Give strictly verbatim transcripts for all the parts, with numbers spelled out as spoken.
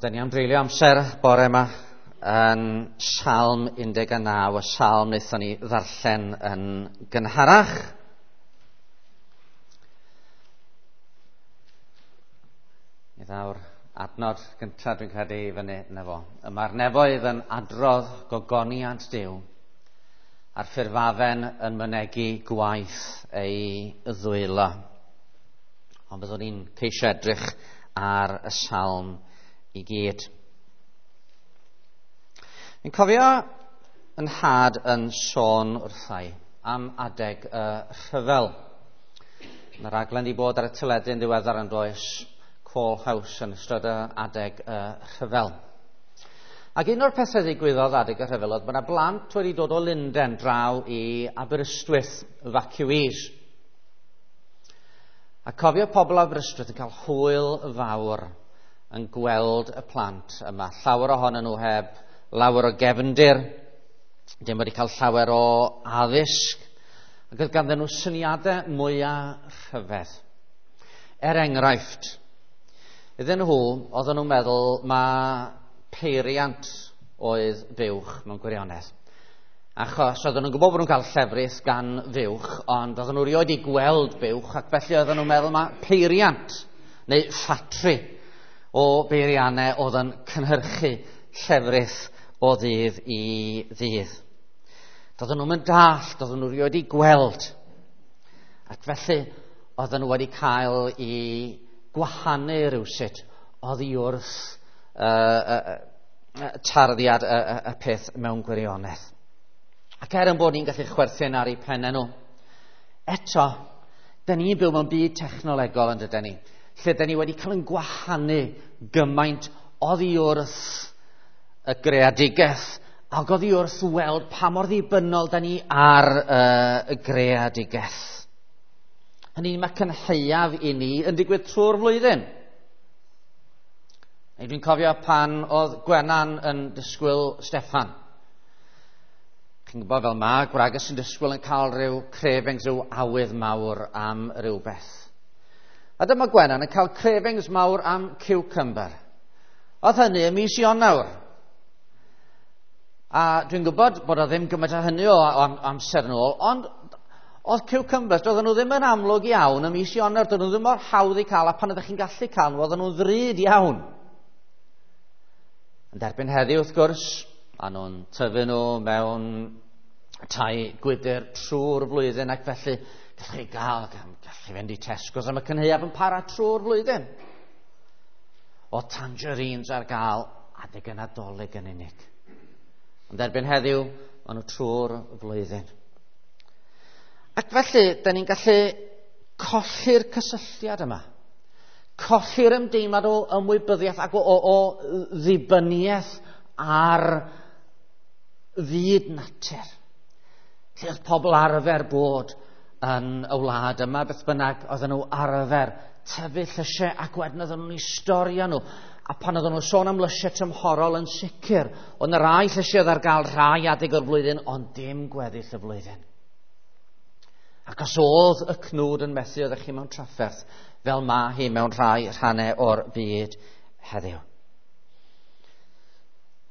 Da ni am dreulio amser bore yma yn Salm un deg naw, y salm wnaethon ni ddarllen yn gynharach. Mi ddaw'r adnod gyntaf dwi'n credu i fyny na fo. Mae'r nefoedd yn adrodd gogoniant Duw, a'r ffurfafen yn mynegi gwaith ei ddwylo. Ond byddwn ni'n ceisio edrych ar y salm i gyd. Fi'n cofio yn nhad yn sôn wrthai am adeg y rhyfel. Mae rhaglen wedi bod ar y teledu yn ddiweddar yn does, Call House yn ystod y adeg y rhyfel. Ac un o'r pethau ddigwyddodd adeg y rhyfel oedd bod yna blant wedi dod o Lunden draw i Aberystwyth, evacuees. A cofio pobl Aberystwyth yn cael hwyl fawr yn gweld y plant yma. Llawer ohonyn nhw heb lawer o gefndir, dim wedi cael llawer o addysg, ac oedd ganddyn nhw syniadau mwyaf rhyfedd. Er enghraifft, iddyn nhw, oedden nhw'n meddwl mae peiriant oedd fuwch mewn gwirionedd. Achos oedden nhw'n gwybod bod nhw'n cael llefrith gan fuwch, ond oedden nhw rioed i gweld buwch, ac felly oedden nhw'n meddwl mae peiriant neu ffatri o beiriannau oedd yn cynhyrchu llefrith o ddydd i ddydd. Doedden nhw'n mynd dallt, doedden nhw rioed i gweld. Ac felly oedden nhw wedi cael i gwahanu rywsut oddi wrth uh, uh, uh, tarddiad y, y, y peth mewn gwirionedd. Ac er yn bod ni'n gallu chwerthin ar eu pennau nhw, eto, da ni'n byw mewn byd technolegol yn dydyn ni, lle da ni wedi cael yn gwahanu gymaint oddi wrth y greadigaeth ac oddi wrth weld pa mor ddibynnol da ni ar uh, y greadigaeth. Hynny, mae cynhaeaf i ni yn digwydd trwy'r flwyddyn. Neu dwi'n cofio pan oedd Gwenan yn disgwyl Steffan. Chi'n gwybod fel ma, gwraig sy'n disgwyl yn cael rhyw cravings, rhyw awydd mawr am rhywbeth. A dyma Gwenan yn cael cravings mawr am cucumber. Oedd hynny ym mis Ionawr. A dwi'n gwybod bod o ddim gymaint o hynny o amser nôl, ond oedd cucumbers, doedden nhw ddim yn amlwg iawn ym mis Ionawr, doedden nhw ddim mor hawdd i cael, a pan oeddech chi'n gallu cael nhw, oedden nhw'n ddrud iawn. Ond erbyn heddiw, wrth gwrs, a nhw'n tyfu nhw mewn tai gwydr trwy'r flwyddyn, ac felly gallwch chi gael, gallwch chi fynd i Tesco's am y cynhaeaf yn para trwy'r flwyddyn. O tangerines ar gael adeg y Nadolig yn unig. Ond erbyn heddiw, maen nhw trwy'r flwyddyn. Ac felly, da ni'n gallu colli'r cysylltiad yma. Colli'r ymdeimlad o ymwybyddiaeth ac o, o, o ddibyniaeth ar fyd natur. Lle oedd pobl arfer bod yn y wlad yma, beth bynnag, oedden nhw arfer tyfu llysiau ac wedyn oedden nhw'n eu storio nhw. A pan oedden nhw'n sôn am lysiau tymhorol yn sicr, oedd yna rai llysiau oedd ar gael rhai adeg o'r flwyddyn, ond dim gweddill y flwyddyn. Ac os oedd y cnwd yn methu, oeddech chi mewn trafferth, fel ma hi mewn rhai rhannau o'r byd heddiw.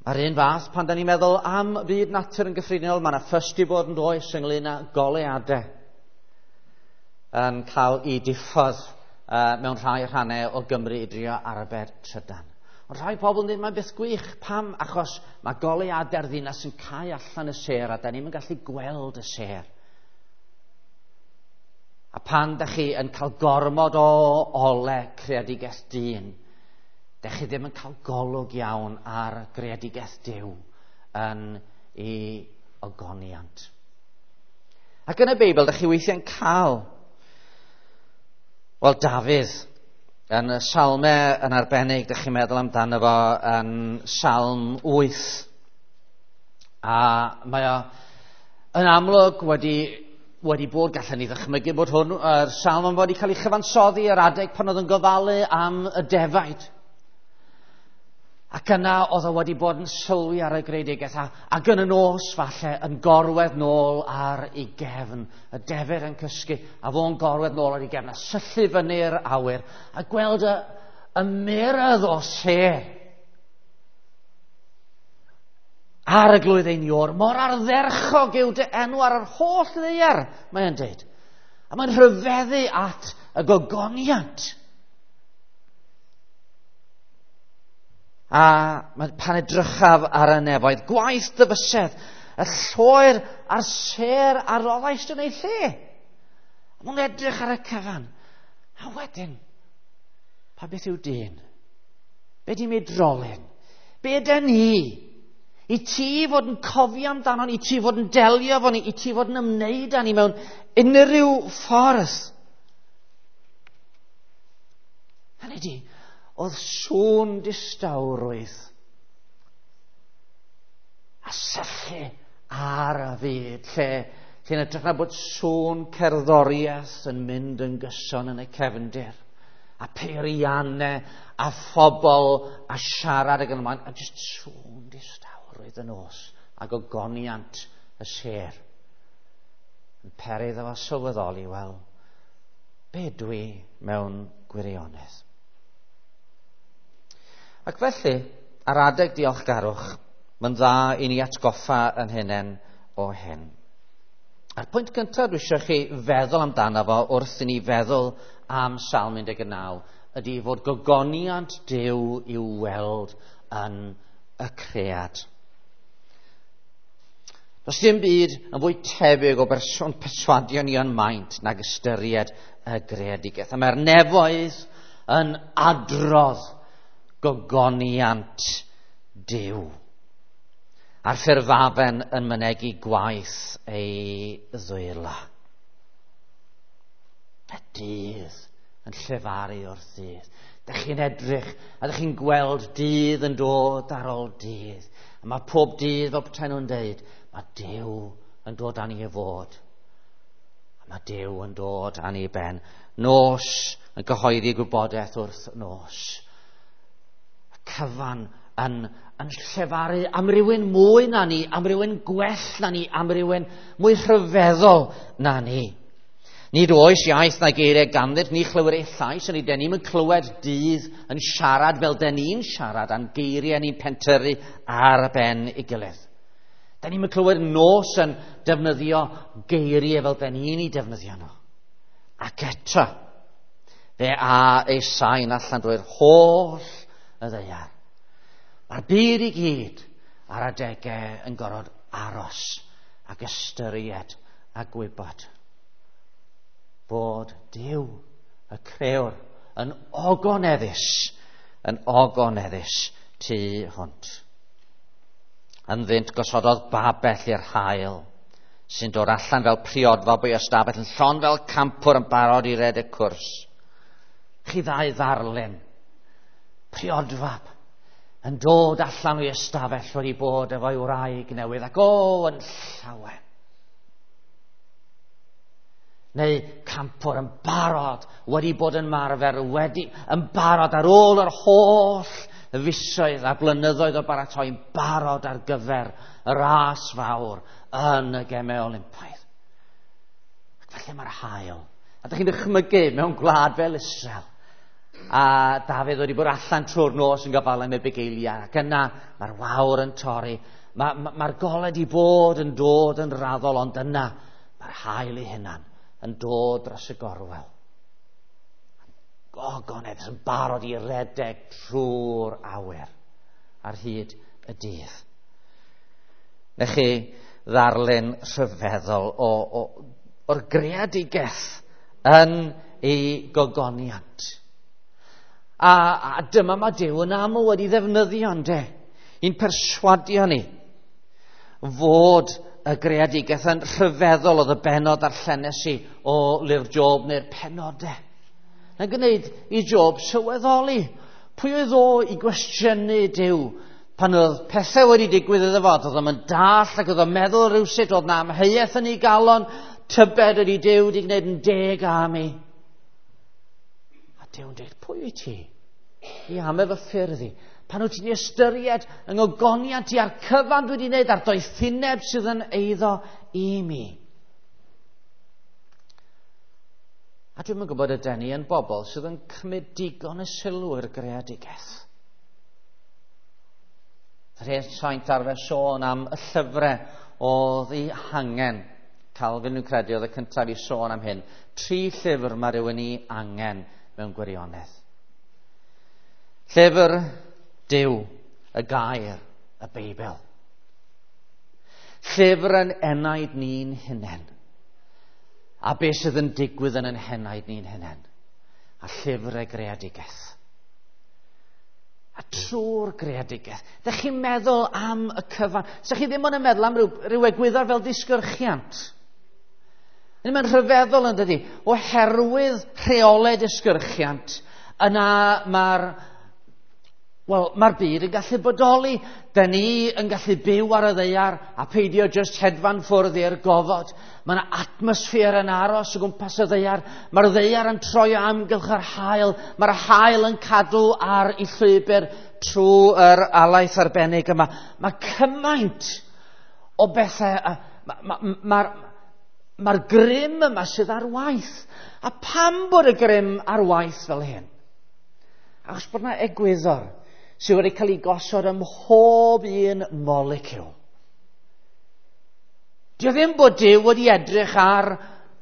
Mae'r un fath, pan da ni'n meddwl am fyd natur yn gyffredinol, mae yna ffys di bod yn does ynglyn â goleuadau yn cael ei diffodd uh, mewn rhai rhannau o Gymru i drio arbed trydan. Ond rhai pobl yn dweud, mae'n beth gwych. Pam? Achos mae goleuadau'r ddinas yn cau allan y sêr a da ni'n gallu gweld y sêr. A pan da chi yn cael gormod o ole creadigaeth dyn, da chi ddim yn cael golwg iawn ar greadigaeth Duw yn ei ogoniant. Ac yn y Beibl, da chi weithiau'n cael, wel, Dafydd, yn y salmau yn arbennig, da chi'n meddwl amdano fo yn Salm wyth. A mae o yn amlwg wedi wedi bod, gallen ni ddychmygu bod hwn, yr salm yn wedi cael ei chyfansoddi ar adeg pan oedd yn gofalu am y defaid. Ac yna oedd o wedi bod yn sylwi ar y greadigaeth, a, ac yn y nos falle yn gorwedd nôl ar ei gefn, y defaid yn cysgu, a fo'n gorwedd nôl ar ei gefn, a syllu fyny'r awyr, a gweld y, y myrdd o sêr. Arglwydd ein Iôr, mor ardderchog yw dy enw ar yr holl ddaear, mae'n dweud. A mae'n rhyfeddu at y gogoniant. A pan edrychaf ar y nefoedd, gwaith dy fysedd, y lloer a'r sêr a roddaist yn ei lle. A mae'n edrych ar y cyfan. A wedyn, pa beth yw dyn? Be di meidrolyn? Be yden ni? I ti fod yn cofio amdano ni, i ti fod yn delio efo ni, i ti fod yn ymwneud â ni mewn unrhyw ffordd. Hynny di, oedd sŵn distawrwydd a syllu ar y fyd, lle lle'n edrych na bod sŵn cerddoriaeth yn mynd yn gyson yn y cefndir, a peiriannau, a phobl, a siarad ag yn ymlaen, a jyst sŵn distawrwydd y nos, a gogoniant y sêr. Yn peri iddo fo sylweddoli, wel, be dwi mewn gwirionedd? Ac felly, ar adeg diolchgarwch, mae'n dda i ni atgoffa yn hunain o hyn. A'r pwynt gyntaf dwi eisiau chi feddwl amdano fo wrth i ni feddwl am Salm un deg naw ydy fod gogoniant Duw i'w weld yn y cread. Does dim byd yn fwy tebyg o berson perswadio ni yn maint nag ystyried y greadigaeth. A mae'r nefoedd yn adrodd gogoniant Duw. A'r ffurfafen yn mynegi gwaith ei ddwylo. Y dydd yn llefaru wrth ddydd. Dych chi'n edrych a dych chi'n gweld dydd yn dod ar ôl dydd. A mae pob dydd fel petai nhw'n deud, mae Duw yn dod â ni i fod. A mae Duw yn dod â ni i ben. Nos yn cyhoeddi gwybodaeth wrth nos. Y cyfan yn, yn llefaru am rywun mwy na ni, am rywun gwell na ni, am rywun mwy rhyfeddol na ni. Nid oes iaith na geiriau ganddynt, ni chlywir ei llais, ond den ni'm yn clywed dydd yn siarad fel den ni'n siarad, a'n geiriau ni'n pentyrru ar ben ei gilydd. Den ni'm yn clywed nos yn defnyddio geiriau fel den ni'n ei defnyddio nhw. Ac eto, fe a ei sain allan drwy'r holl y ddaear. Mae'r byd i gyd ar adegau yn gorfod aros ac ystyried a gwybod bod Duw, y crëwr, yn ogoneddus, yn ogoneddus tu hwnt. Ynddynt gosododd babell i'r haul, sy'n dod allan fel priodfab o'i ystafell, yn llon fel campwr yn barod i redeg cwrs. Chi ddau ddarlun, priodfab, yn dod allan o'i ystafell wedi bod efo'i wraig newydd, ac o, yn llawen. Neu campwr yn barod wedi bod yn marfer, wedi yn barod ar ôl yr holl fisoedd a blynyddoedd o baratoi, yn barod ar gyfer y ras fawr yn y Gemau Olympaidd. Ac felly mae'r haul. A dych chi'n dychmygu mewn gwlad fel Israel. A Dafydd wedi bod allan trwy'r nos yn gofalu am ei bugeiliau. Ac yna mae'r wawr yn torri. Mae'r ma, ma golau di bod yn dod yn raddol, ond yna mae'r haul ei hunan yn dod dros y gorwel. Gogonedd yn barod i redeg trwy'r awyr ar hyd y dydd. Nech chi ddarlun rhyfeddol o, o, o'r greadigaeth yn ei gogoniant. A, a dyma mae Duw yn aml wedi ddefnyddio, ynde, i'n perswadio ni fod y greadigaeth yn rhyfeddol. Oedd y bennod darllenes i o lyfr Job neu'r penodau. Yn gwneud i Job sylweddoli pwy oedd o i gwestiynu Duw pan oedd pethau wedi digwydd iddo fo. Oedd o'n dall ac oedd o'n meddwl rhywsut, oedd na amheuaeth yn ei galon, tybed ydy Duw wedi gwneud yn deg am i. A Duw'n dweud, pwy wyt ti i am efo ffyrdd i? Pan wyt ti'n ystyried yng ngogoniant i a'r cyfan dwi wedi wneud a'r doethineb sydd yn eiddo i mi. A dwi'm yn gwybod ydyn ni yn bobl sydd yn cymryd digon y sylw i'r greadigaeth. Yr hen saint arfer sôn am y llyfrau oedd ei hangen. Calvin yn credu oedd y cyntaf i sôn am hyn. Tri llyfr mae rhywun i angen mewn gwirionedd. Llyfr Duw, y gair, y Beibl. Llyfr yn enaid ni'n hunain. A beth sydd yn digwydd yn ein henaid ni'n hunain. A llyfr y greadigaeth. A trwy'r greadigaeth. Dych chi'n meddwl am y cyfan. Dych chi ddim ond yn meddwl am ryw, ryw egwyddor fel disgyrchiant. Mae'n rhyfeddol yn dydi. Oherwydd rheolau disgyrchiant, yna mae'r Wel, mae'r byd yn gallu bodoli. Da ni yn gallu byw ar y ddaear a peidio just hedfan ffwrdd i'r gofod. Mae yna atmosffer yn aros o gwmpas y ddaear. Mae'r ddaear yn troi o amgylch yr haul. Mae'r haul yn cadw ar ei llwybr trwy'r alaeth arbennig yma. Mae cymaint o bethau. Mae'r ma, ma, ma grym yma sydd ar waith. A pam bod y grym ar waith fel hyn? Achos bod yna egwyddor sydd wedi cael ei gosod ym mhob un moleciwl. Dio ddim bod Duw wedi edrych ar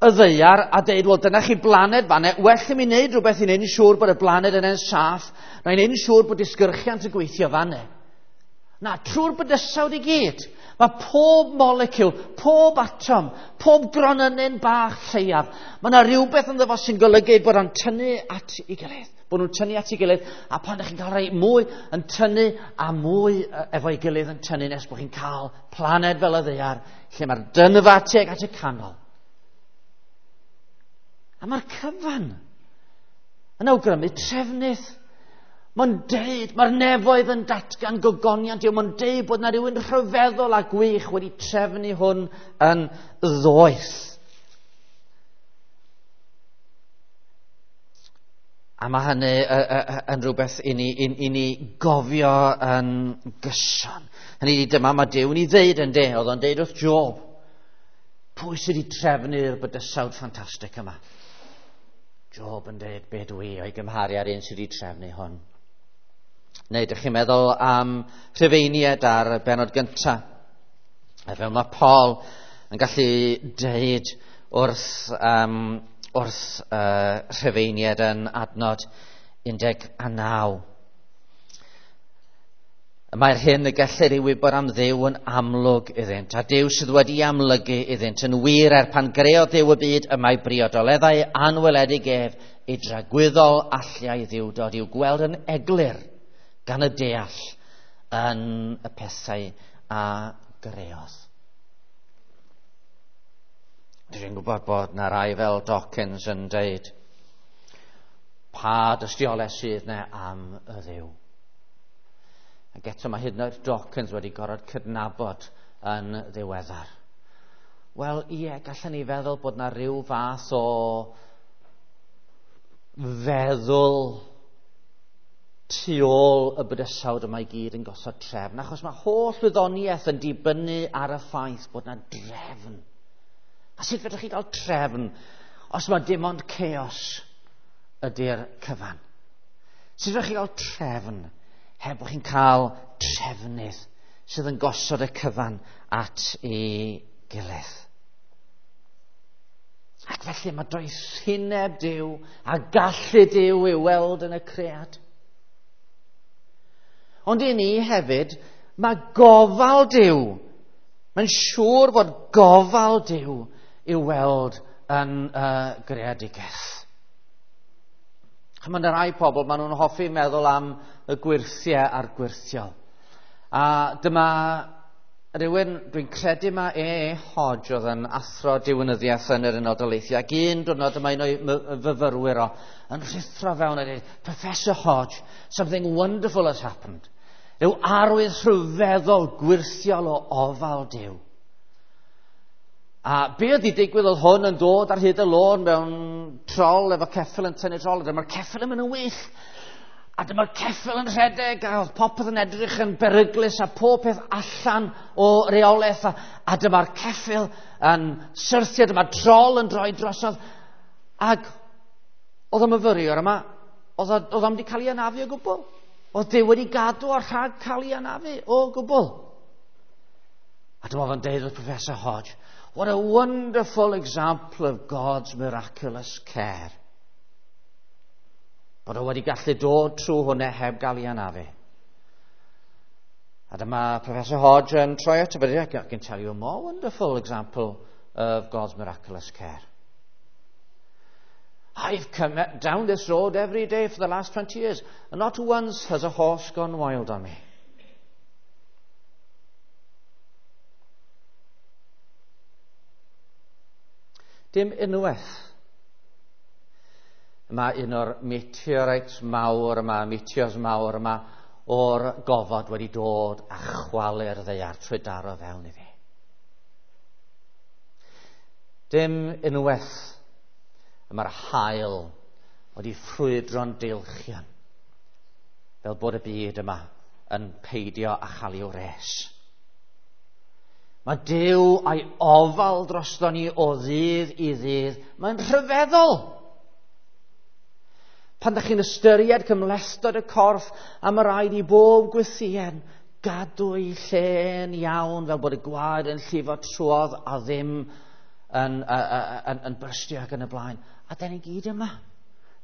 y ddaear a deud, wel, dyna chi blaned fanne, well i mi wneud rhywbeth i wneud yn siŵr bod y blaned yna'n saff, na i wneud yn siŵr bod disgyrchiant yn gweithio fanne. Na, trwy'r bydysawd i gyd, mae pob moleciwl, pob atom, pob gronynyn bach lleiaf, mae yna rhywbeth ynddo fo sy'n golygu bod o'n tynnu at ei gilydd. Bod nhw'n tynnu at ei gilydd, a pan ydych chi'n cael rhai mwy yn tynnu a mwy efo'i gilydd yn tynnu nes bod chi'n cael planed fel y ddaear, lle mae'r dynfa tuag at y canol. A mae'r cyfan yn awgrymu trefnydd. Mae'n deud, mae'r nefoedd yn datgan gogoniant yw, mae'n deud bod yna rhywun rhyfeddol a gwych wedi trefnu hwn yn ddoeth. A mae hynny yn rhywbeth i ni, i, i ni gofio yn gyson. Hynny ydi, dyma mae Duw yn ei ddeud yn de, oedd o'n deud wrth Job. Pwy sydd wedi trefnu'r bydysawd ffantastig yma? Job yn deud, be dwi o'i gymharu ar un sydd wedi trefnu hwn. Neu, ydych chi'n meddwl am Rhufeiniaid ar y bennod gyntaf? A fel mae Paul yn gallu deud wrth... Um, wrth uh, Rhufeiniaid yn adnod un deg naw. Mae'r hyn y gellir ei wybod am Dduw yn amlwg iddynt, a Duw sydd wedi amlygu iddynt yn wir er pan greodd Duw y byd, y mae briodoleddau anweledig ef ei dragwyddol alliau ddiwdod i'w gweld yn eglur gan y deall yn y pethau a greodd. Dwi'n gwybod bod na rai fel Dawkins yn deud pa dystiolaeth sydd yna am y Dduw. Ac eto mae hyd yn oed Dawkins wedi gorfod cydnabod yn ddiweddar. Wel, ie, gallwn ni feddwl bod na rhyw fath o feddwl tu ôl y bydysawd yma i gyd yn gosod trefn, achos mae holl wyddoniaeth yn dibynnu ar y ffaith bod na drefn. A sut fedrwch chi gael trefn os mae dim ond chaos ydy'r cyfan? Sut fedrwch chi gael trefn heb bod chi'n cael trefnydd sydd yn gosod y cyfan at ei gilydd? Ac felly mae doethineb Duw a gallu Duw i'w weld yn y cread. Ond i ni hefyd, mae gofal Duw. Mae'n siŵr bod gofal Duw i'w weld yn uh, greadigaeth. Mae yna rai pobl, maen nhw'n hoffi meddwl am y gwyrthiau a'r gwyrthiol. A dyma rhywun, dwi'n credu mae E E Hodge oedd yn athro diwinyddiaeth yn yr Unol Daleithiau, ac un diwrnod yma un o'i fyfyrwyr o yn rhuthro fewn a dweud, Professor Hodge, something wonderful has happened. Rhyw arwydd rhyfeddol gwyrthiol o ofal Duw. A be oedd i digwydd oedd hwn yn dod ar hyd y lôn mewn trol efo ceffyl yn tynnu trol, a dyma'r ceffyl yn mynd yn wyll. A dyma'r ceffyl yn rhedeg, a oedd popeth yn edrych yn beryglus, a pob peth allan o reolaeth, a, a dyma'r ceffyl yn syrthio, dyma'r trol yn droi drosodd. Ac oedd y myfyriwr yma, oedd o'n wedi cael ei anafu o gwbl. Oedd Duw wedi gadw o rhag cael ei anafu o gwbl. A dyma fo'n deud wrth Professor Hodge, "What a wonderful example of God's miraculous care." Bod o wedi gallu dod trwy hwnna heb gael ei anafu. A dyma Professor Hodge yn troi ato fe, "I can tell you a more wonderful example of God's miraculous care. I've come down this road every day for the last twenty years, and not once has a horse gone wild on me." Dim unwaith. Mae un o'r meteorites mawr yma, meteors mawr yma, o'r gofod wedi dod a chwalu'r ddaear trwy daro fewn iddi. Dim unwaith mae'r haul wedi ffrwydro'n deilchion, fel bod y byd yma yn peidio â chael ei wres. Mae Duw a'i ofal drosto ni o ddydd i ddydd. Mae'n rhyfeddol. Pan ydych chi'n ystyried cymhlethdod y corff, a mae rhaid i bob gwythïen gadw ei lle'n iawn, fel bod y gwaed yn llifo trwodd a ddim yn, yn, yn, yn byrstio ac yn y blaen. A da ni gyd yma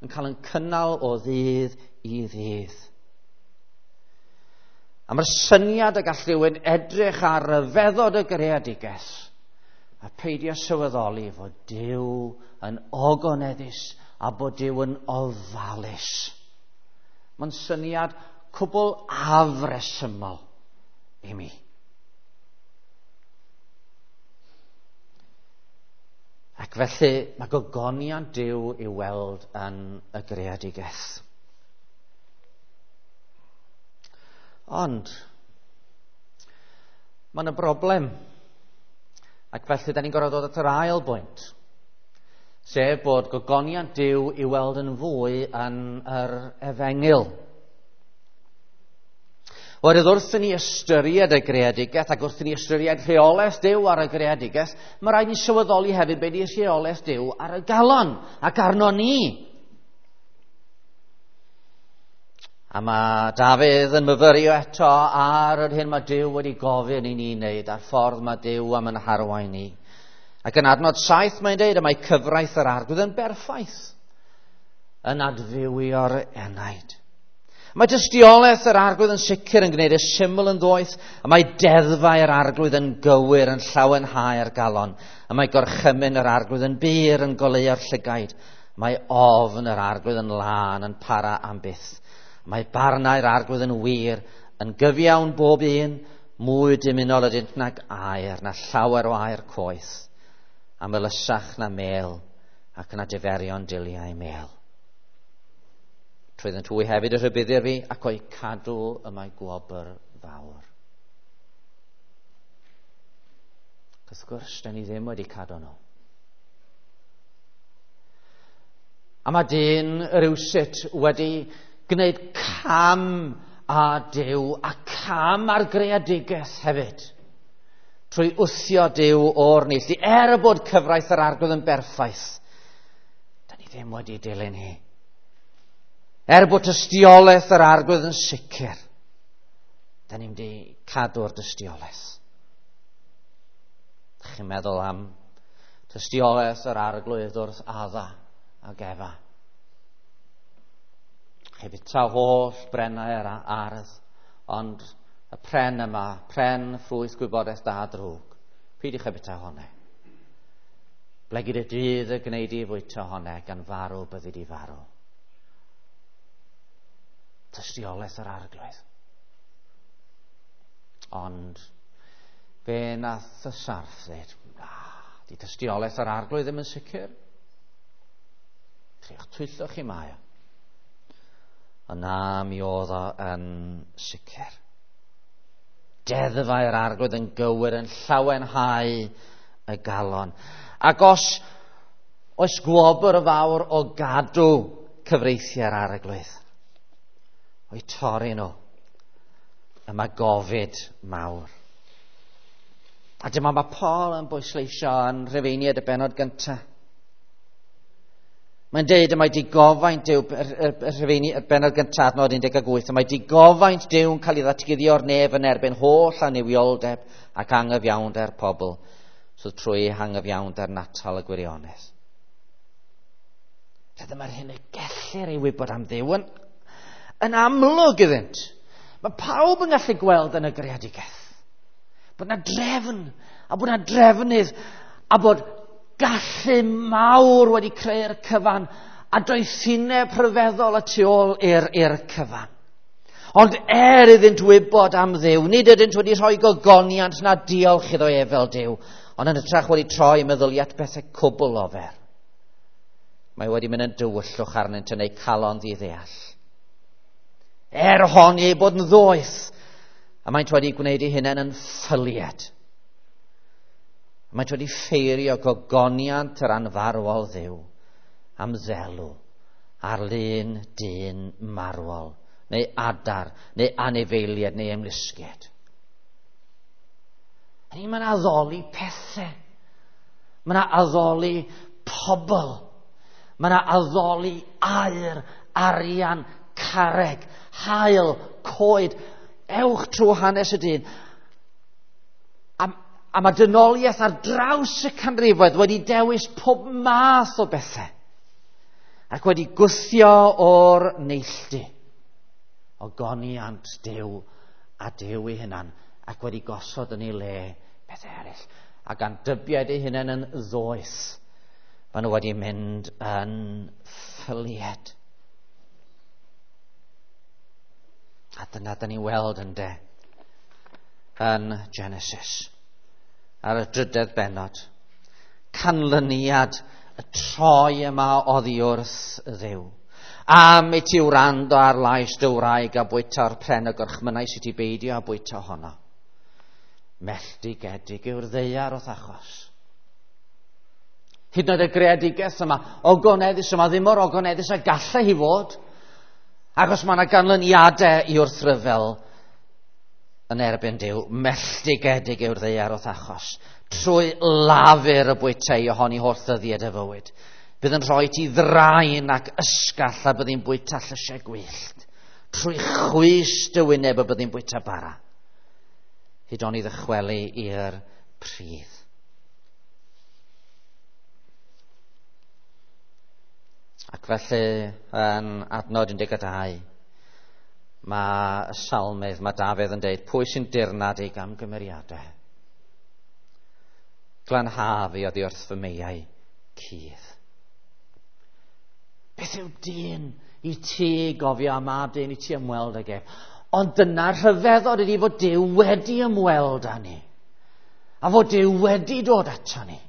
yn cael yn cynnal o ddydd i ddydd. A mae'r syniad y gall rhywun edrych ar ryfeddod y greadigaeth a peidio sylweddoli fod Duw yn ogoneddus a bod Duw yn ofalus. Mae'n syniad cwbl afresymol i mi. Ac felly mae gogoniant Duw i'w weld yn y greadigaeth. Ond mae yna broblem. Ac felly da ni'n gorfod dod at yr ail bwynt, sef bod gogoniant Duw i'w weld yn fwy yn yr efengyl. Oherwydd wrth i ni ystyried y greadigaeth ac wrth i ni ystyried rheolaeth Duw ar y greadigaeth, mae rhaid ni sylweddoli hefyd beth yw rheolaeth Duw ar y galon ac arno ni. A mae Dafydd yn myfyrio eto ar yr hyn mae Duw wedi gofyn i ni wneud, a'r ffordd mae Duw am yn harwain ni. Ac yn adnod saith mae'n deud, y mae cyfraith yr Arglwydd yn berffaith, yn adfywio'r enaid. Mae tystiolaeth yr Arglwydd yn sicr yn gwneud y syml yn ddoeth, a mae deddfau'r Arglwydd yn gywir yn llawenhau'r galon, a mae gorchymyn yr Arglwydd yn bur yn goleuo'r llygaid, mae ofn yr Arglwydd yn lân yn para am byth. Mae barnau'r Arglwydd yn wir, yn gyfiawn bob un, mwy dymunol ydynt nag aer, na llawer o aer coeth, a melysach na mel, ac na diferion diliau mel. Trwyddynt hwy hefyd y rhybuddir fi, ac o'i cadw y mae gwobr fawr. Ac wrth gwrs, da ni ddim wedi cadw nhw. A mae dyn rywsut wedi gwneud cam â Duw a cam ar greadigaeth hefyd, trwy wthio Duw o'r neilltu. Er bod cyfraith yr Arglwydd yn berffaith, da ni ddim wedi dilyn hi. Er bod tystiolaeth yr Arglwydd yn sicr, da ni'n wedi cadw'r dystiolaeth. Dych chi'n meddwl am tystiolaeth yr Arglwydd wrth Adda ac Efa? Chi fita holl brennau yr ardd, ond y pren yma, pren ffrwyth gwybodaeth da a drwg, peidiwch â bita honne. Blegid y dydd y gwneud i fwyta honne, gan farw byddi di farw. Tystiolaeth yr Arglwydd. Ond fe nath y sarff ddweud, na, di tystiolaeth yr Arglwydd ddim yn sicr. Triwch twyllo chi mae o. Ond na, mi oedd o yn sicr. Deddfau'r Arglwydd yn gywir, yn llawenhau y galon. Ac os oes gwobr fawr o gadw cyfreithiau'r Arglwydd, o'i torri nhw, y mae gofid mawr. A dyma mae Paul yn bwysleisio yn Rhufeiniaid y bennod gyntaf. Mae'n deud y mae digofaint Duw, y Rhufeini, y bennod gyntaf, adnod un deg wyth, y mae digofaint Duw'n cael ei ddatguddio'r nef yn erbyn holl annuwioldeb ac angyfiawnder pobl, so trwy angyfiawnder natal y gwirionedd. Dyma'r hyn y gellir ei wybod am Dduw yn, yn amlwg iddynt. Mae pawb yn gallu gweld yn y greadigaeth bod yna drefn, a bod yna drefnydd, a bod gallu mawr wedi creu'r cyfan, a doethineb rhyfeddol y tu ôl i'r, i'r cyfan. Ond er iddynt wybod am Dduw, nid ydynt wedi rhoi gogoniant na diolch iddo ef fel Duw, ond yn hytrach wedi troi meddyliau at bethau cwbl ofer. Mae wedi mynd yn dywyllwch arnynt yn eu calon ddiddeall. Er honni eu bod yn ddoeth, a maent wedi gwneud eu hunain yn ffyliad. Maent wedi ffeirio gogoniant yr anfarwol Dduw am ddelw ar lun dyn marwol, neu adar, neu anifeiliaid, neu ymlusgiaid. Hynny, mae'n addoli pethau. Mae'n addoli pobl. Mae'n addoli aur, arian, carreg, haul, coed. Ewch trwy hanes y dyn. A, a mae dynoliaeth ar draws y canrifoedd wedi dewis pob math o bethau ac wedi gwthio o'r neilltu o goniant Duw a Duw ei hunan, ac wedi gosod yn ei le pethau eraill. A gan dybied ei hunan yn ddoeth, maen nhw wedi mynd yn ffylied. A dyna da ni'n weld ynde yn Genesis, ar y drydedd bennod, canlyniad y troi yma oddi wrth Dduw. Am i ti wrando ar lais dy wraig a bwyta'r pren y gorchmynnau sydd ti beidio a bwyta honno. Melltigedig yw'r ddaear o'th achos. Hyd yn oed y greadigaeth yma, ogoneddus yma, ddim mor ogoneddus a gallai hi fod, achos mae yna ganlyniadau i wrthryfel yn erbyn Duw. Melltigedig yw'r ddaear o'th achos. Trwy lafur y bwytei ohoni holl ddyddiau dy fywyd. Bydd yn rhoi ti ddraen ac ysgall a byddi'n bwyta llysiau gwyllt. Trwy chwys dy wyneb y byddi'n bwyta bara. Hyd oni ddychwelu i'r pridd. Ac felly, yn adnod un deg dau, mae y salmydd, mae Dafydd yn deud, pwy sy'n dirnad ei gamgymeriadau? Glanha fi oddi wrth fy meiau cudd. Beth yw dyn i ti gofio am mab dyn i ti ymweld ag ef? Ond dyna'r rhyfeddod ydy fod Duw wedi ymweld â ni. A fod Duw wedi dod ato ni.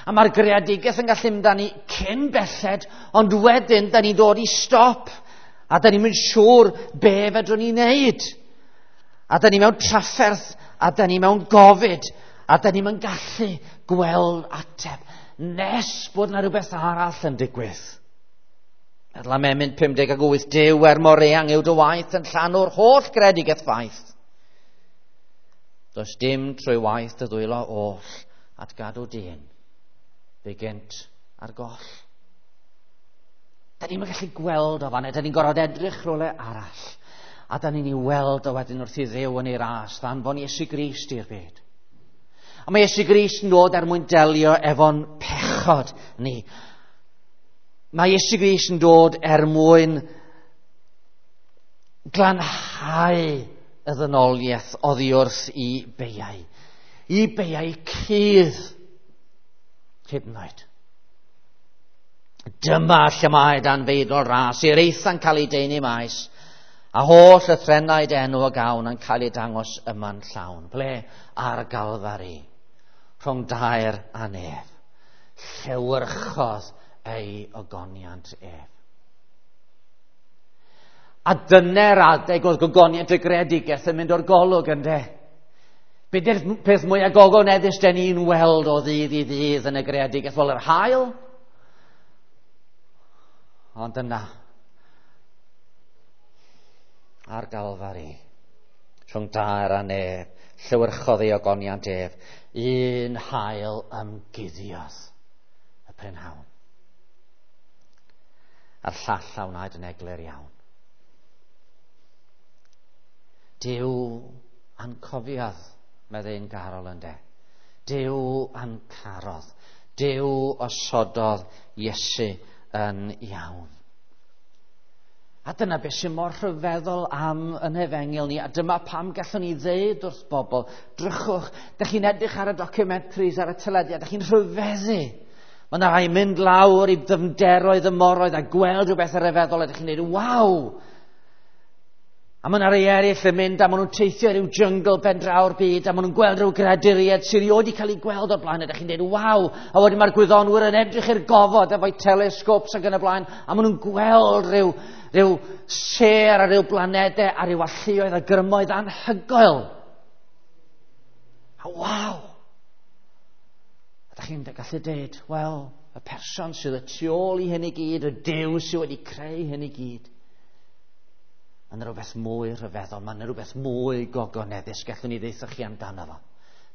A mae'r greadigaeth yn gallu mynd â ni cyn belled, ond wedyn da ni'n dod i stop. A da ni'n mynd siŵr be fedrwn ni wneud. A da ni mewn trafferth, a da ni mewn gofid, a da ni'n mynd gallu gweld ateb nes bod yna rhywbeth arall yn digwydd. Meddwl am emyn pum deg wyth, Duw er mor eang yw dy waith yn llanw'r holl greadigaeth faith. Does dim trwy waith dy ddwylo oll at gadw dyn, fe gynt ar goll. Da ni'n gallu gweld o fan, da ni'n gorfod edrych rhywle arall. A da ni'n ei weld o wedyn wrth i Dduw yn ei ras, ddanfon Iesu Grist i'r byd. A mae Iesu Grist yn dod er mwyn delio efo'n pechod ni. Mae Iesu Grist yn dod er mwyn glanhau y ddynoliaeth oddi wrth i beiau. I beiau cudd. Hyd yn oed. Dyma lle mae dan feidrol ras, i'r eitha'n cael ei deunu maes, a holl y threnaid enw y gawn yn cael ei dangos yma'n llawn. Ble? Ar Galfari, rhwng dair a nef. Llewyrchodd ei ogoniant ef. A dyna'r adeg oedd gogoniant y greadigaeth yn mynd o'r golwg, ynde? Be di'r peth mwyaf gogoneddus den ni'n weld o ddydd i ddydd yn y greadigaeth? Wel, yr haul. Ond yna, ar Galfari, rhwng dair a nef, llewyrchodd ei ogoniant ef, un haul ymguddiodd y prynhawn. A'r llall a wnaed yn eglur iawn. Duw a'n cofiodd, meddai ein garol ynde. Duw a'n carodd. Duw osododd Iesu yn iawn. A dyna beth sy'n mor rhyfeddol am yn hefengyl ni, a dyma pam gallwn ni ddeud wrth bobl, drychwch, dych chi'n edrych ar y documentaries, ar y teledu, a dych chi'n rhyfeddu. Mae yna rai mynd lawr i ddyfnderoedd y moroedd a gweld rhywbeth rhyfeddol, a dych chi'n dweud, waw! A mae yna rai eraill yn mynd a maen nhw'n teithio ryw jyngl ben draw'r byd a maen nhw'n gweld rhyw greaduriaid sydd erioed wedi cael ei gweld o'r blaen a ydych chi'n dweud waw! A wedyn mae'r gwyddonwyr yn edrych i'r gofod efo'u telescopes ac yn y blaen a maen nhw'n gweld rhyw, rhyw sêr a rhyw blanedau a rhyw alluoedd a grymoedd anhygoel. A waw! A ydych chi'n gallu dweud, wel, y person sydd y tu ôl i hyn i gyd, y Duw sydd wedi creu hyn i gyd, mae yna rhywbeth mwy rhyfeddol, mae yna rhywbeth mwy gogoneddus gallwn ni ddeutha chi amdano fo,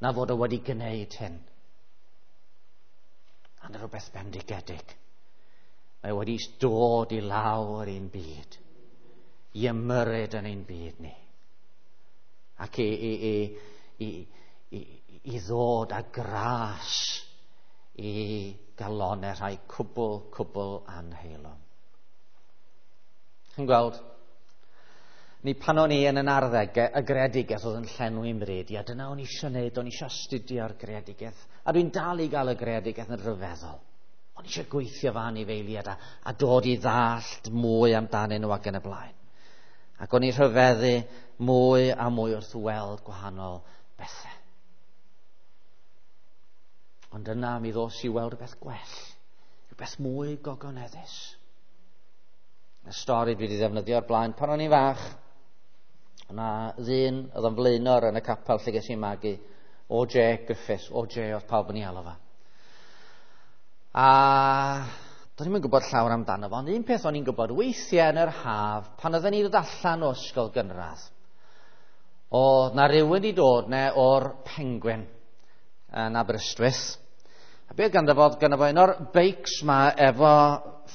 na fod o wedi gwneud hyn. Mae yna rhywbeth bendigedig. Mae wedi dod i lawr i'n byd, i ymyrryd yn ein byd ni, ac i, i, i, i, i, i ddod â gras i galonau rhai cwbl, cwbl anheilwng. Chi'n gweld? Ni pan o'n i yn yn arddegau, y greadigaeth oedd yn llenwi mryd i, a dyna o'n i eisiau gwneud, o'n i eisiau astudio'r greadigaeth. A dwi'n dal i gael y greadigaeth yn rhyfeddol. O'n i eisiau gweithio fy anifeiliaid a, a dod i ddallt mwy amdanyn nhw ac yn y blaen. Ac o'n i rhyfeddu mwy a mwy wrth weld gwahanol bethau. Ond yna mi ddos i weld rhywbeth gwell, rhywbeth mwy gogoneddus. Y stori dwi wedi ddefnyddio o'r blaen pan o'n i'n fach, yna ddyn oedd yn flaenor yn y capel lle ges i'n magu, O J Griffiths, O J oedd pawb yn ei alw fo. A do'n i'm yn gwybod llawer amdano fo, ond un peth o'n i'n gwybod, weithiau yn yr haf, pan oedden ni'n dod allan o ysgol gynradd, oedd na rywun wedi dod ne o'r Penguin yn Aberystwyth. A beth ganddo fo, ganddo fo un o'r beics ma efo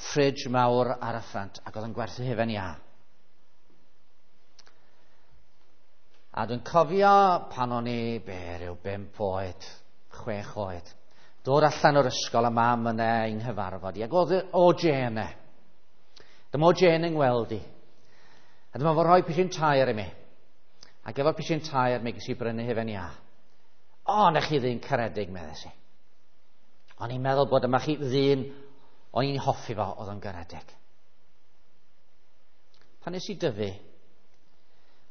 fridge mawr ar y ffrant, ac oedd yn gwerthu hufen iâ. A dwi'n cofio pan o'n i, be, rhyw bump oed, chwech oed, dod allan o'r ysgol a mam yna i'n nghyfarfod i, ac oedd O J yna. Dyma O J yn ngweld i. A dyma fo rhoi pisyn tair i mi. Ac efo'r pisyn tair mi ges i brynu hufen iâ. O, na chi ddyn caredig, meddes i. O'n i'n meddwl bod yma chi ddyn o'n i'n hoffi fo, oedd o'n garedig. Pan nes i dyfu,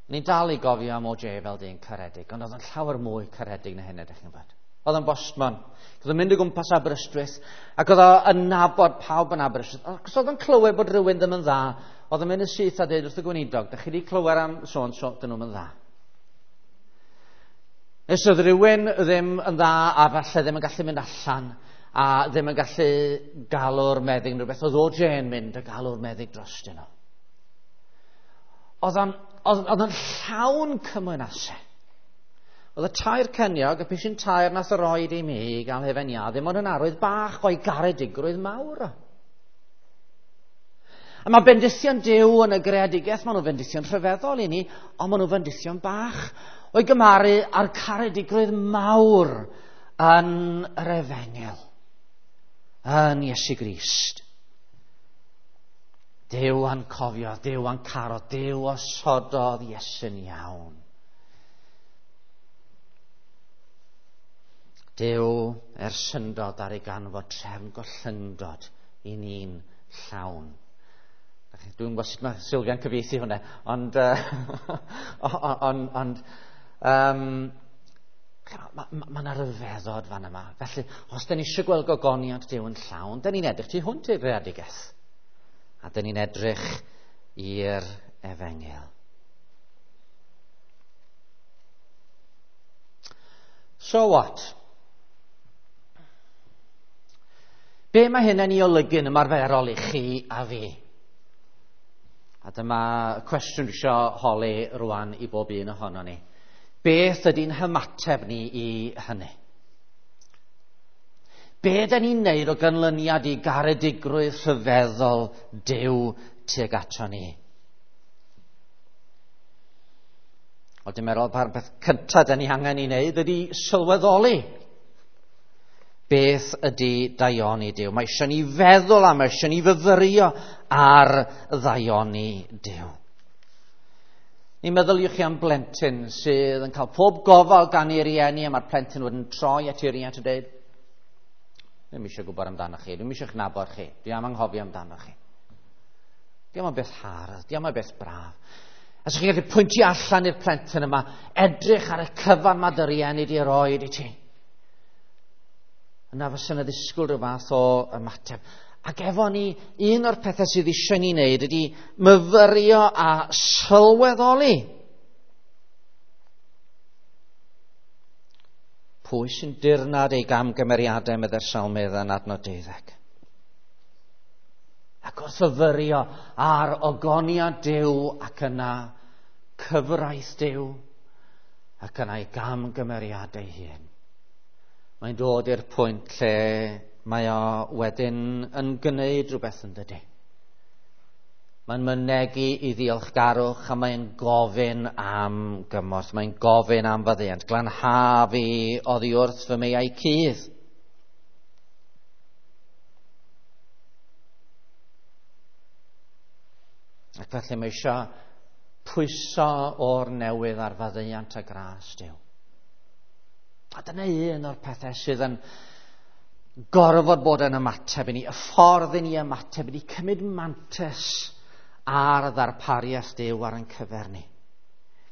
o'n i'n dal i gofio am O J fel dyn caredig, ond oedd o'n llawer mwy caredig na hynny, ydych chi'n gwybod. Oedd o'n bostman. Oedd o'n mynd o gwmpas Aberystwyth, ac oedd o'n nabod pawb yn Aberystwyth. Ac os oedd o'n clywed bod rhywun ddim yn dda, oedd o'n mynd yn syth a dweud wrth y gweinidog, dych chi wedi clywed am sôn, so, dyn nhw'n dda. Nes oedd rhywun ddim yn dda a falle ddim yn gallu mynd allan, a ddim yn gallu galw'r meddyg neu rhywbeth, oedd O J yn mynd a galw'r meddyg drostyn nhw. Oedd o'n, oedd o'n llawn cymwynasau. Oedd y tair ceniog, y pisyn tair nath o roed i mi i gael hufen iâ, ddim ond yn arwydd bach o'i garedigrwydd mawr. A mae bendithion Duw yn y greadigaeth, maen nhw'n bendithion rhyfeddol i ni, ond maen nhw'n bendithion bach o'i gymharu â'r caredigrwydd mawr yn yr efengyl, yn Iesu Grist. Duw a'n cofio, Duw a'n caro, Duw osododd Iesu'n iawn. Duw er syndod ar ei ganfod trefn gollyngdod i ni'n llawn. Dwi'n gwybod sut mae Sylvia'n cyfieithu hwnna, ond, uh, ond, ond um, mae ma, ma 'na ryfeddod fan yma. Felly, os da ni eisiau gweld gogoniant Duw yn llawn, da ni'n edrych tu hwnt i'r greadigaeth. A da ni'n edrych i'r efengyl. So what? Be mae hyn yn ei olygu yn ymarferol i chi a fi? A dyma cwestiwn dwi eisiau holi rwan i bob un ohono ni. Beth ydy'n hymateb ni i hynny? Be da ni'n neud o ganlyniad i garedigrwydd rhyfeddol Duw tuag ato ni? Wel, dwi'n meddwl pa'r beth cyntaf da ni angen i wneud ydy sylweddoli beth ydy daioni Duw. Mae eisiau ni feddwl am, mae eisiau ni fyfyrio ar ddaioni Duw. Ni'n meddyliwch chi am blentyn sydd yn cael pob gofal gan ei rieni, a mae'r plentyn wedyn troi at ei riant a dweud, "Dwi'm eisiau gwybod amdano chi, dwi'm eisiau eich nabod chi, dwi am anghofio amdano chi." Diolch yn beth hardd, diolch yn beth braf. A so chi'n gallu pwyntio allan i'r plentyn yma, edrych ar y cyfan mae dy rieni di roed i ti. Yna fysa yna ddisgwyl rhyw fath o ymateb. Ac efo ni, un o'r pethau sydd eisiau ni wneud ydy myfyrio a sylweddoli. Pwy sy'n dirnad ei gamgymeriadau, medde'r Salmydd yn adnod deuddeg. Ac wrth fyfyrio ar ogoniad Duw ac yna cyfraith Duw ac yna ei gamgymeriadau hun, mae'n dod i'r pwynt lle mae o wedyn yn gwneud rhywbeth, yn dydy. Mae'n mynegi i ddiolchgarwch a mae'n gofyn am gymorth. Mae'n gofyn am faddeuant. "Glanha fi oddi wrth fy meiau cudd." Ac felly mae eisiau pwyso o'r newydd ar faddeuant a gras Duw. A dyna un o'r pethau sydd yn gorfod bod yn ymateb i ni. Y ffordd i ni ymateb i ni cymryd mantais ar ddarpariaeth Duw ar ein cyfer ni.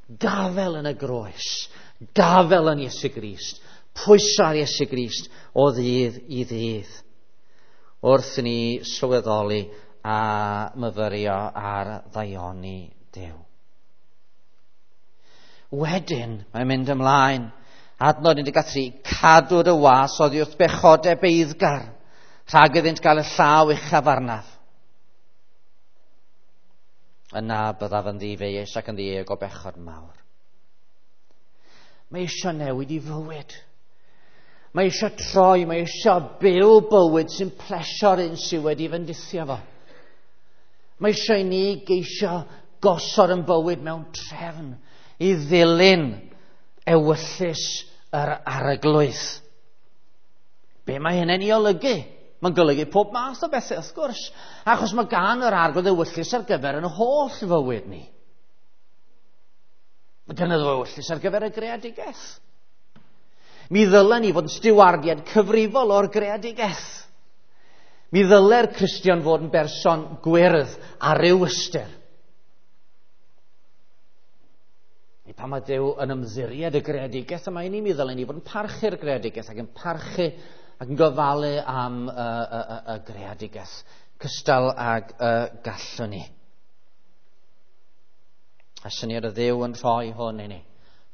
Gafel yn y groes, gafel yn Iesu Grist, pwyso ar Iesu Grist o ddydd i ddydd, wrth i ni sylweddoli a myfyrio ar ddaioni Duw. Wedyn, mae'n mynd ymlaen. Adnod un deg tri, "Cadw dy was oddi wrth bechodau beiddgar, rhag iddynt gael y llaw uchaf arnaf. Yna byddaf yn ddifeius ac yn ddieuog o bechod mawr." Mae eisiau newid i fywyd. Mae eisiau troi, mae eisiau byw bywyd sy'n plesio'r un sydd wedi fendithio fo. Mae eisiau i ni geisio gosod yn bywyd mewn trefn i ddilyn ewyllys yr Arglwydd. Be mae hynny'n ei olygu? Mae'n golygu pob math o bethau, wrth gwrs. Achos mae gan yr Arglwydd ewyllys ar gyfer yn holl fywyd ni. Mae gan ewyllys ar gyfer y greadigaeth. Mi ddylen ni fod yn stiwardiad cyfrifol o'r greadigaeth. Mi ddyle'r Cristion fod yn berson gwyrdd ar ryw ystyr. I pan mae Duw yn ymddiried y greadigaeth yma i ni, mi ddylen ni fod yn parchu'r greadigaeth ac yn parchu ac yn gofalu am y, y, y, y greadigaeth cystal ag y gallwn ni. A syniad o Dduw yn rhoi hwn i ni,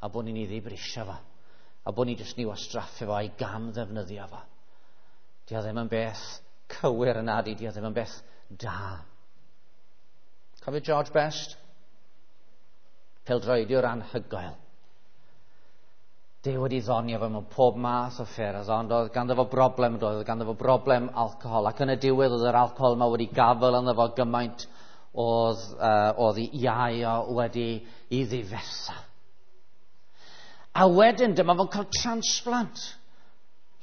a bod ni'n ei ddibrisio fo, a bod ni jyst ni wastraffu fo a'i gam ddefnyddio fo. Di o ddim yn beth cywir yna, di, di o ddim yn beth da. Cofio George Best? Pêl-droediwr anhygoel. Duw wedi ddonio fo mewn pob math o ffyrdd, ond oedd ganddo fo broblem, doedd ganddo fo broblem alcohol, ac yn y diwedd oedd yr alcohol yma wedi gafel ynddo fo gymaint oedd, uh, oedd ei iau o wedi i ddifetha. A wedyn dyma fo'n cael transplant,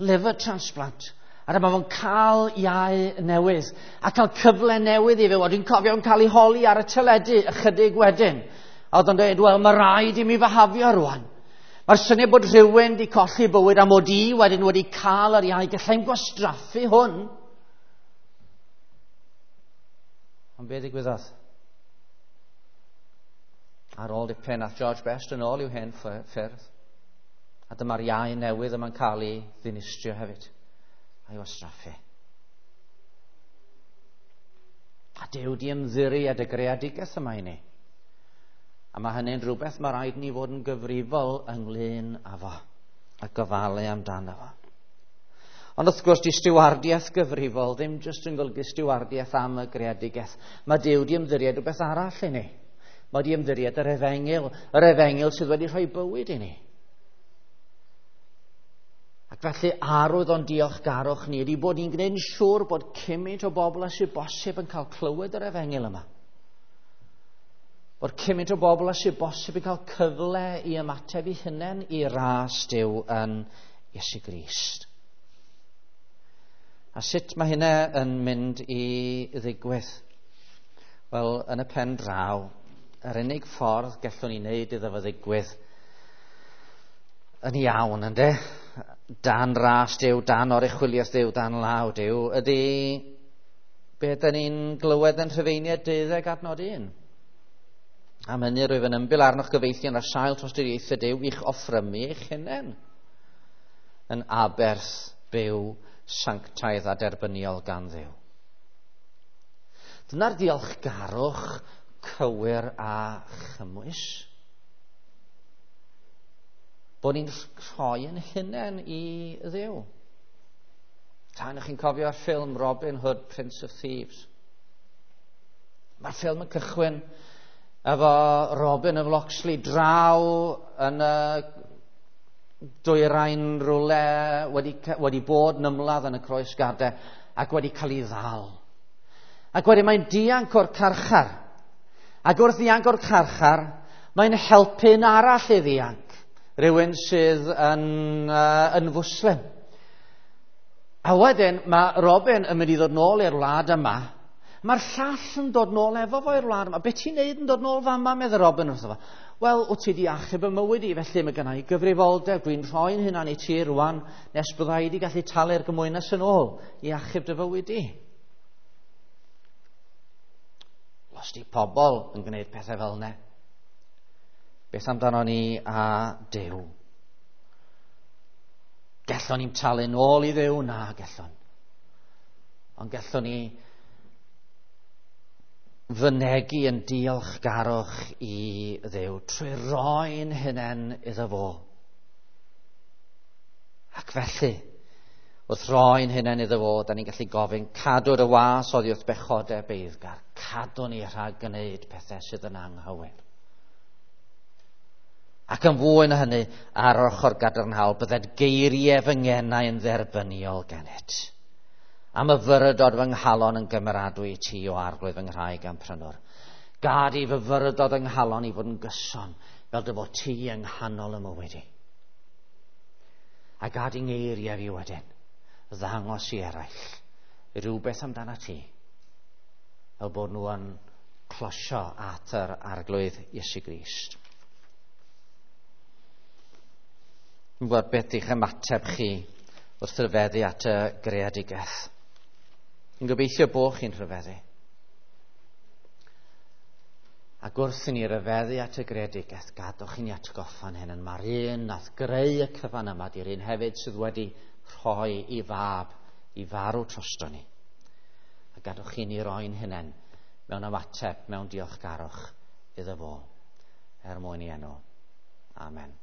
liver transplant. A dyma fo'n cael iau newydd, a cael cyfle newydd i fyw. A dwi'n cofio o'n cael ei holi ar y teledu ychydig wedyn. A oedd o'n dweud, "Wel, mae rhaid i mi fihafio rwan. Mae'r syniad bod rhywun wedi colli bywyd a mod i wedyn wedi cael yr iau, gallai'n gwastraffu hwn." Ond be ddigwyddodd? Ar ôl dipyn, ath George Best yn ôl i'w hen ffyrdd. A dyma'r iau newydd yma'n cael ei ddinistrio hefyd a'i wastraffu. A Duw di ymddiried y greadigaeth yma i ni. A mae hynny'n rhywbeth mae rhaid ni fod yn gyfrifol ynglyn â fo a gofalu amdano fo. Ond wrth gwrs, di stiwardiaeth gyfrifol ddim jyst yn golygu stiwardiaeth am y greadigaeth. Mae Duw di ymddiried rhywbeth arall i ni. Mae di ymddiried yr efengyl, yr efengyl sydd wedi rhoi bywyd i ni. Ac Ac felly arwydd o'n diolchgarwch ni ydy bod ni'n gwneud yn siŵr bod cymaint o bobl â sydd bosib yn cael clywed yr efengyl yma. Bod cymaint o bobl â sydd bosib yn cael cyfle i ymateb i hunain i ras Duw yn Iesu Grist. A sut mae hynna yn mynd i ddigwydd? Wel, yn y pen draw, yr unig ffordd gallwn ni wneud iddo fo ddigwydd yn iawn, ynde? Dan ras Duw, dan oruchwyliaeth Duw, dan law Duw, ydy be dyn ni'n glywed yn Rhufeiniaid deuddeg adnod un. Am hynny rwyf yn ymbil arnoch gyfeillion ar sail tosturiaethau Duw i'ch offrymu eich hunain yn aberth byw sanctaidd a derbyniol gan Dduw. Dyna'r diolchgarwch cywir a chymwys. Bod ni'n rhoi yn hunain i Dduw. Tan ych chi'n cofio'r ffilm Robin Hood, Prince of Thieves? Mae'r ffilm yn cychwyn efo Robin of Locksley draw yn y dwyrain rhywle wedi, wedi bod yn ymladd yn y croesgadau ac wedi cael ei ddal. Ac wedyn mae'n dianc o'r carchar. Ac wrth ddianc o'r carchar, mae'n helpu'n arall i ddianc. Rhywun sydd yn, uh, yn Fwslim. A wedyn mae Robin yn mynd i ddod nôl i'r wlad yma. Mae'r llall yn dod nôl efo fo i'r wlad yma. Be ti'n neud yn dod nôl fama, medde Robin wrtho fo. Wel, wyt ti di achub y mywyd i, felly mae gynna i gyfrifoldeb. Dwi'n rhoi'n hunan i ti rwan nes bydda i di gallu talu'r gymwynas yn ôl i achub dy fywyd i. Os di pobl yn gwneud pethau fel yna, beth amdano ni a Duw? Gellwn ni'n talu nôl i Dduw? Na, gellwn. Ond gellwn ni fynegi yn diolchgarwch i Dduw trwy roi'n hunain iddo fo. Ac felly, wrth roi'n hunain iddo fo, da ni'n gallu gofyn, cadw dy was oddi wrth bechodau beiddgar. Cadw ni rhag gwneud pethau sydd yn anghywir. Ac yn fwy na hynny, ar yr ochr gadarnhaol, bydded geiriau fy ngenau yn dderbyniol gennyt. Am y fyrdod fy nghalon yn gymeradwy i ti o Arglwydd fy nghraig a'm prynwr. Gad i fy fyrdod yng nghalon i fod yn gyson, fel dy fod ti yng nghanol y mywyd i. A gad i ngeiriau fi wedyn, ddangos i eraill rhywbeth amdana ti, fel bod nhw yn closio at yr Arglwydd Iesu Grist. Dwi'n gwybod beth yw'ch ymateb chi wrth rhyfeddu at y greadigaeth. Yn gobeithio bod chi'n rhyfeddu. Ac wrth i ni ryfeddu at y greadigaeth, gadwch i ni atgoffa'n hyn. Mae'r un nath greu y cyfan yma, di'r un hefyd sydd wedi rhoi i fab i farw drosto ni. A gadwch i ni roi'n hunain mewn ymateb, mewn diolchgarwch iddo fo, er mwyn i enw. Amen.